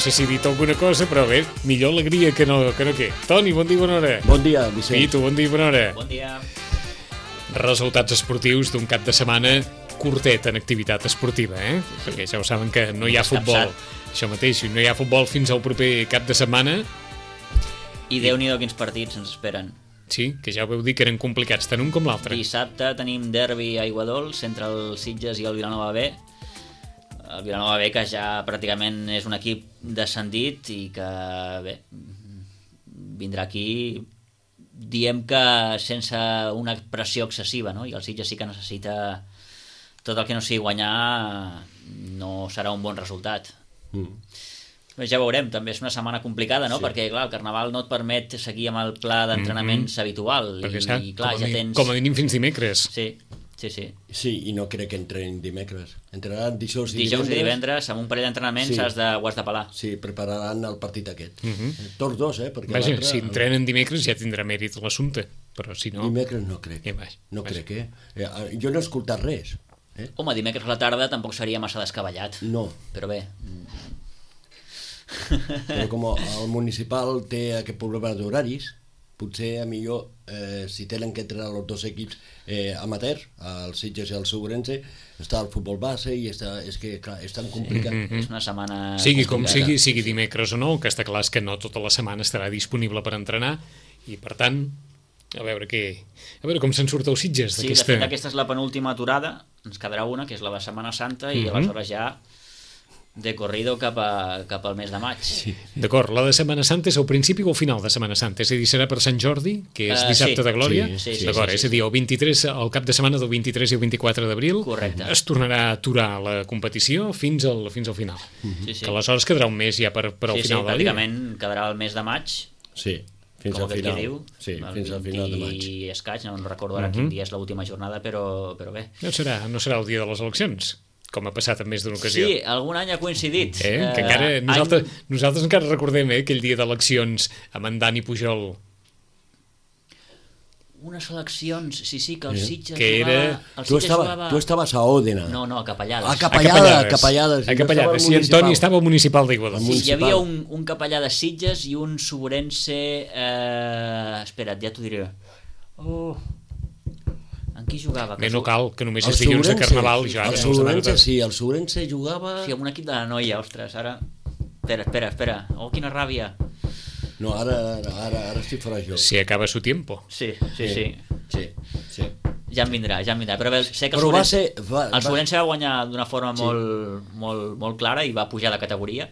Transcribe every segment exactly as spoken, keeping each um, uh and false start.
No sé si he dit alguna cosa, però bé, millor alegria que no que no què. Toni, bon dia, bona hora. Bon dia, Vicenç. I tu, bon dia, bona hora. Bon dia. Resultats esportius d'un cap de setmana curtet en activitat esportiva, eh? Sí. Perquè ja ho saben que no hi ha futbol. Això mateix, no hi ha futbol fins al proper cap de setmana. I Déu-n'hi-do quins partits ens esperen. Sí, que ja ho veu dir que eren complicats, tant un com l'altre. Dissabte tenim derbi a Aiguadols entre el Sitges i el Vilanova B. El Vilanova B, que ja pràcticament és un equip descendit i que, bé, vindrà aquí, diem que sense una pressió excessiva, no? I el Sitges sí que necessita tot el que no sigui guanyar, no serà un bon resultat. Mm. Ja veurem, també és una setmana complicada, no? Sí. Perquè, clar, el Carnaval no et permet seguir amb el pla d'entrenaments mm-hmm. habitual. Perquè, i, sap, i clar, com, a ja tens... com a mínim fins dimecres. Sí. Sí, sí. Sí, i no crec que entrenin dimecres. Entrenaran dijous i dijous divendres. i divendres, amb un parell d'entrenaments sí. has de, ho has de pelar. Sí, prepararan el partit aquest. Mm-hmm. Tots dos, eh? Perquè vaja, si entrenen dimecres ja tindrà mèrit l'assumpte, però si no... Dimecres no crec. Eh, vaja, no vaja. crec, eh? eh? Jo no he escoltat res. Eh? Home, dimecres a la tarda tampoc seria massa descabellat. No. Però bé... Però com el municipal té aquest problema d'horaris, potser a millor eh, si tenen que entrenar els dos equips eh, amateurs, el Sitges i el Segurense, està el futbol base i està, és que clar, és tan complicat. Mm-hmm. És una setmana sigui com sigui, sigui dimecres o no, el que està clar és que no tota la setmana estarà disponible per entrenar i per tant, a veure què, a veure com se'n surt el Sitges. Sí, de fet aquesta és la penúltima aturada, ens quedarà una, que és la de Setmana Santa, i mm-hmm. aleshores ja de corrido cap, a, cap al mes de maig. Sí. D'acord, la de Setmana Santa és al principi o al final de Setmana Santa? És a dir, serà per Sant Jordi, que és dissabte uh, sí. de Glòria? Sí, sí, sí, d'acord, sí, sí, és a dir, el vint-i-tres, el cap de setmana del vint-i-tres i el vint-i-quatre d'abril. Correcte. Es tornarà a aturar la competició fins al, fins al final. Mm-hmm. Sí, sí. Que aleshores quedarà un mes ja per, per al sí, final sí, del dia. Sí, pràcticament quedarà el mes de maig. Sí, fins com al final. Diu, sí, fins al final de maig. I escaig, no recordo ara mm-hmm. quin dia és l'última jornada, però, però bé. No serà, no serà el dia de les eleccions, com ha passat en més d'una ocasió. Sí, algun any ha coincidit. Eh? Que encara, uh, nosaltres, any... nosaltres encara recordem eh, aquell dia d'eleccions amb en Dani Pujol. Unes eleccions, sí, sí, que el Sitges que jugava... Era... El tu, estava, jugava... tu estaves a Òdena. No, no, a Capellades. A Capellades. A Capellades. A Capellades. Sí, Antoni estava al municipal d'Iguadols. Sí, hi havia un, un capellà de Sitges i un Segurense... Eh... Espera't, ja t'ho diré. Oh... En qui jugava? Bé, no cal, que només el és dilluns de Carnaval. Sí. Jo, el Segurense, sí, el Segurense jugava... Sí, amb un equip de la noia, ostres, ara... Espera, espera, espera. Oh, quina ràbia. No, ara, ara, ara, ara estic fora jo. Si acaba su tiempo. Sí, sí, sí. Sí, sí. Ja em vindrà, ja em vindrà. Però bé, sé que el Segurense va, va, va... va guanyar d'una forma sí. molt, molt, molt clara i va pujar de categoria.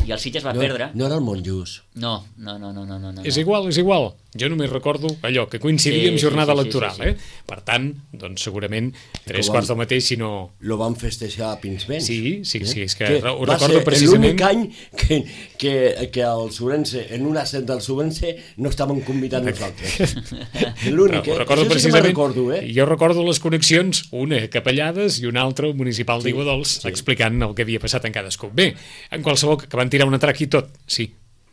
I el Sitges va no, perdre. No era el Montjús. No, no, no, no, no, no. És igual, és igual. Jo només recordo allò, que coincidia sí, amb jornada sí, sí, electoral, sí, sí, sí. eh? Per tant, doncs segurament tres van, quarts del mateix, si no... Lo van festejar a Pinsbens. Sí, sí, sí, és que, que ho recordo precisament... Va ser l'únic any que, que, que el Segurense, en un ascent del Segurense, no estaven convidant nosaltres. L'únic, eh? Ho recordo Això precisament, sí que recordo, eh? Jo recordo les connexions, una a Capellades i una altra al municipal sí, d'Iguadols, sí. explicant el que havia passat en cadascú. Bé, en qualsevol, que van tirar una trac i tot, sí.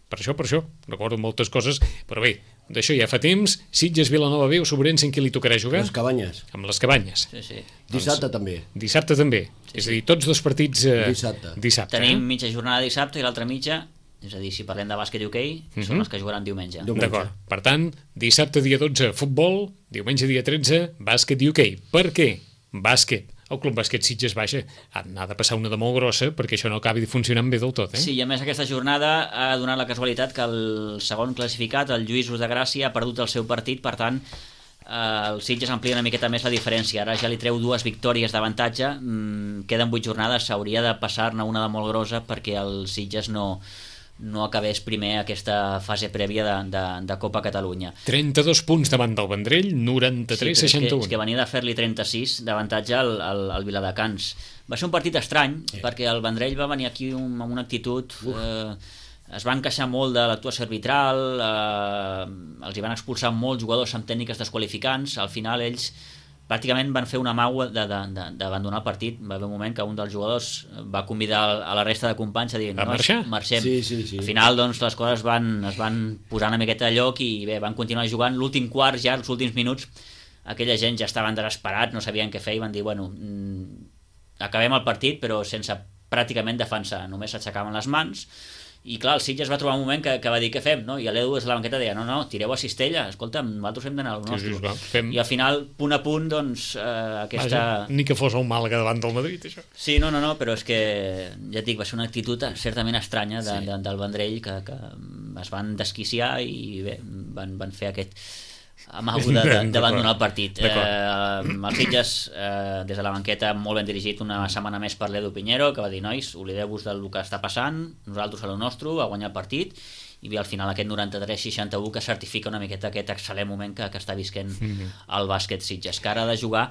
Per això, per això, recordo moltes coses, però bé, d'això ja fa temps. Sitges, Vilanova B o Segurense, en qui li tocarà jugar? Les Cabanyes. Amb les Cabanyes. Sí, sí. Dissabte doncs, també. Dissabte també. Sí, és a dir, tots dos partits eh, dissabte. dissabte. Tenim eh? mitja jornada dissabte i l'altra mitja, és a dir, si parlem de bàsquet i hoquei, mm-hmm. són les que jugaran diumenge. diumenge. D'acord. Per tant, dissabte dia dotze, futbol, diumenge dia tretze, bàsquet i hoquei. Per què? Bàsquet. El Club Bàsquet Sitges, vaja, ha de passar una de molt grossa perquè això no acabi funcionant bé del tot, eh? Sí, i a més aquesta jornada ha donat la casualitat que el segon classificat, el Lluïsos de Gràcia, ha perdut el seu partit, per tant, el Sitges amplia una miqueta més la diferència, ara ja li treu dues victòries d'avantatge, mm, queden vuit jornades, s'hauria de passar-ne una de molt grossa perquè el Sitges no, no acabés primer aquesta fase prèvia de, de, de Copa Catalunya. trenta-dos punts davant del Vendrell, noranta-tres sí, seixanta-u. És que, és que venia de fer-li trenta-sis d'avantatge al, al, al Viladecans. Va ser un partit estrany, sí. perquè el Vendrell va venir aquí un, amb una actitud... Eh, es van queixar molt de l'actuació arbitral, eh, els hi van expulsar molts jugadors amb tècniques desqualificants, al final ells pràcticament van fer una maua d'abandonar el partit. Va haver un moment que un dels jugadors va convidar a la resta de companys a dir a marxar? Marxem. Sí, sí, sí. Al final doncs, les coses van, es van posar una miqueta a lloc i bé, van continuar jugant. L'últim quart, ja els últims minuts, aquella gent ja estaven desesperats, no sabien què fer i van dir, bueno, mm, acabem el partit però sense pràcticament defensar, només s'aixecaven les mans. I clar, el Sitges va trobar un moment que, que va dir què fem, no? I l'Edu des de la banqueta deia, no, no, tireu a Cistella, escolta, nosaltres hem d'anar al nostre. Sí, sí, fem... I al final, punt a punt, doncs, eh, aquesta... Vaja, ni que fos el Màlaga davant del Madrid, això. Sí, no, no, no, però és que, ja et dic, va ser una actitud certament estranya de, sí. de, del Vendrell, que, que es van desquiciar i bé, van, van fer aquest amago d'abandonar el partit. Eh, els Sitges, eh, des de la banqueta, molt ben dirigit una setmana més per l'Edu Piñero, que va dir, nois, oblideu-vos del que està passant, nosaltres a lo nostre, a guanyar el partit, i bé, al final aquest noranta-tres seixanta-u que certifica una miqueta aquest excel·lent moment que, que està visquent mm-hmm. el bàsquet Sitges, que ara ha de jugar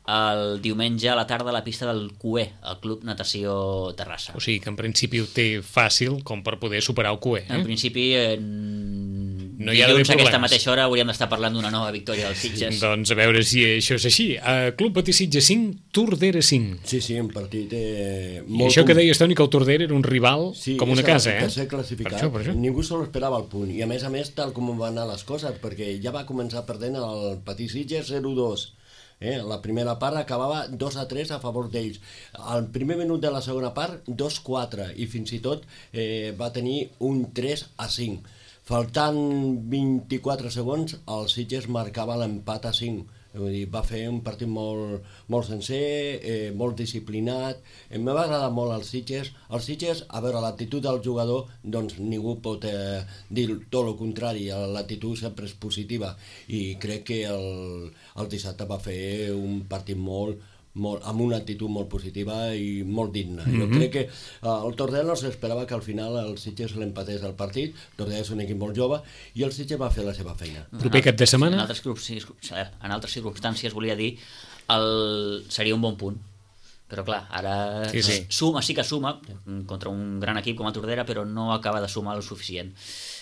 el diumenge a la tarda a la pista del Q E, el Club Natació Terrassa. O sigui que en principi ho té fàcil com per poder superar el Q E. Eh? En principi, eh, no hi ha dilluns a aquesta mateixa hora hauríem d'estar parlant d'una nova victòria dels Sitges. Doncs a veure si això és així. Uh, Club Patí Sitges cinc, Tordera cinc. Sí, sí, un partit eh, molt... I això que deies, Toni, que el Tordera era un rival sí, com una casa, eh? Sí, classificat. Per això, per això. Ningú se l'esperava al punt. I a més a més, tal com van anar les coses, perquè ja va començar perdent el Patí Sitges zero dos. Eh, la primera part acabava dos a tres a favor d'ells. Al primer minut de la segona part, dos quatre, i fins i tot eh, va tenir un tres a cinc. Faltant vint-i-quatre segons, el Sitges marcava l'empat a cinc. Vull dir, va fer un partit molt, molt sencer, eh, molt disciplinat. Em va agradar molt el Sitges. El Sitges, a veure, l'actitud del jugador, doncs ningú pot eh, dir tot el contrari. L'actitud sempre és positiva i crec que el, el dissabte va fer un partit molt, molt, amb una actitud molt positiva i molt digna. Mm-hmm. Jo crec que uh, el Tordera no s'esperava que al final el Sitges l'empatés el partit. Tordera és un equip molt jove i el Sitges va fer la seva feina. Proper cap de setmana? En altres, grups, en altres circumstàncies volia dir el, seria un bon punt. Però clar, ara sí, sí. suma, sí que suma contra un gran equip com el Tordera, però no acaba de sumar el suficient.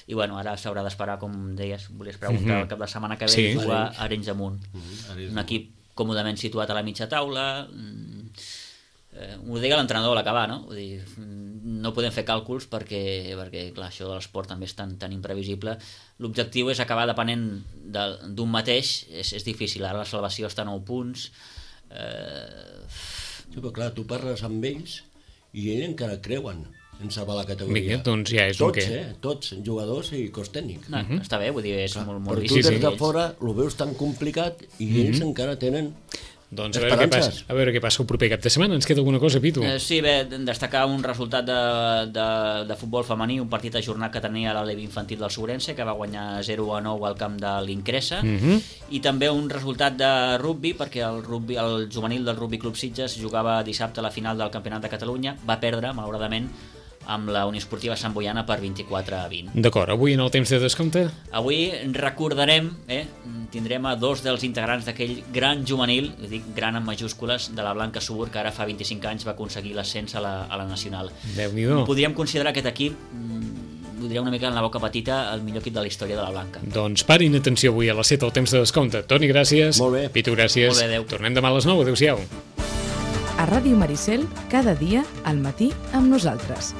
I bueno, ara s'haurà d'esperar, com deies, volies preguntar, mm-hmm. el cap de setmana que ve sí. jugar a Arenys Amunt. Mm-hmm. Un equip còmodament situat a la mitja taula, eh, ho deia l'entrenador a l'acabar, no? Vull dir, no podem fer càlculs perquè, perquè clar, això de l'esport també és tan, tan imprevisible. L'objectiu és acabar depenent d'un mateix, és, és difícil, ara la salvació està a nou punts. Eh... Sí, però clar, tu parles amb ells i ells encara creuen en salvar la categoria. Mira, doncs ja és tots, un què. Eh? Tots, jugadors i cos tècnic. No, uh-huh. Està bé, vull dir, és clar, molt, molt difícil. Però tu des de fora ho veus tan complicat i uh-huh. ells encara tenen doncs a veure, què passa, a veure què passa el proper cap de setmana. Ens queda alguna cosa, Pitu? Eh, sí, bé, destacar un resultat de, de, de futbol femení, un partit ajornat que tenia l'Alevi Infantil del Sobrense, que va guanyar zero a nou al camp de l'Incresa, uh-huh. i també un resultat de rugby, perquè el, rugby, el juvenil del Rugby Club Sitges jugava dissabte a la final del Campionat de Catalunya, va perdre, malauradament, amb la Unió Esportiva Sant Boiana per vint-i-quatre a vint. D'acord, avui en el temps de descompte? Avui recordarem, eh, tindrem a dos dels integrants d'aquell gran juvenil, dic gran en majúscules, de la Blanca Subur, que ara fa vint-i-cinc anys va aconseguir l'ascens a, la, a la Nacional. Déu-n'hi-do. Podríem considerar aquest equip, ho diria una mica en la boca petita, el millor equip de la història de la Blanca. Doncs parin atenció avui a les set al temps de descompte. Toni, gràcies. Molt bé. Pitu, gràcies. Molt bé, adéu. Tornem demà a les nou. Adéu-siau. A Ràdio Maricel, cada dia, al matí, amb nosaltres.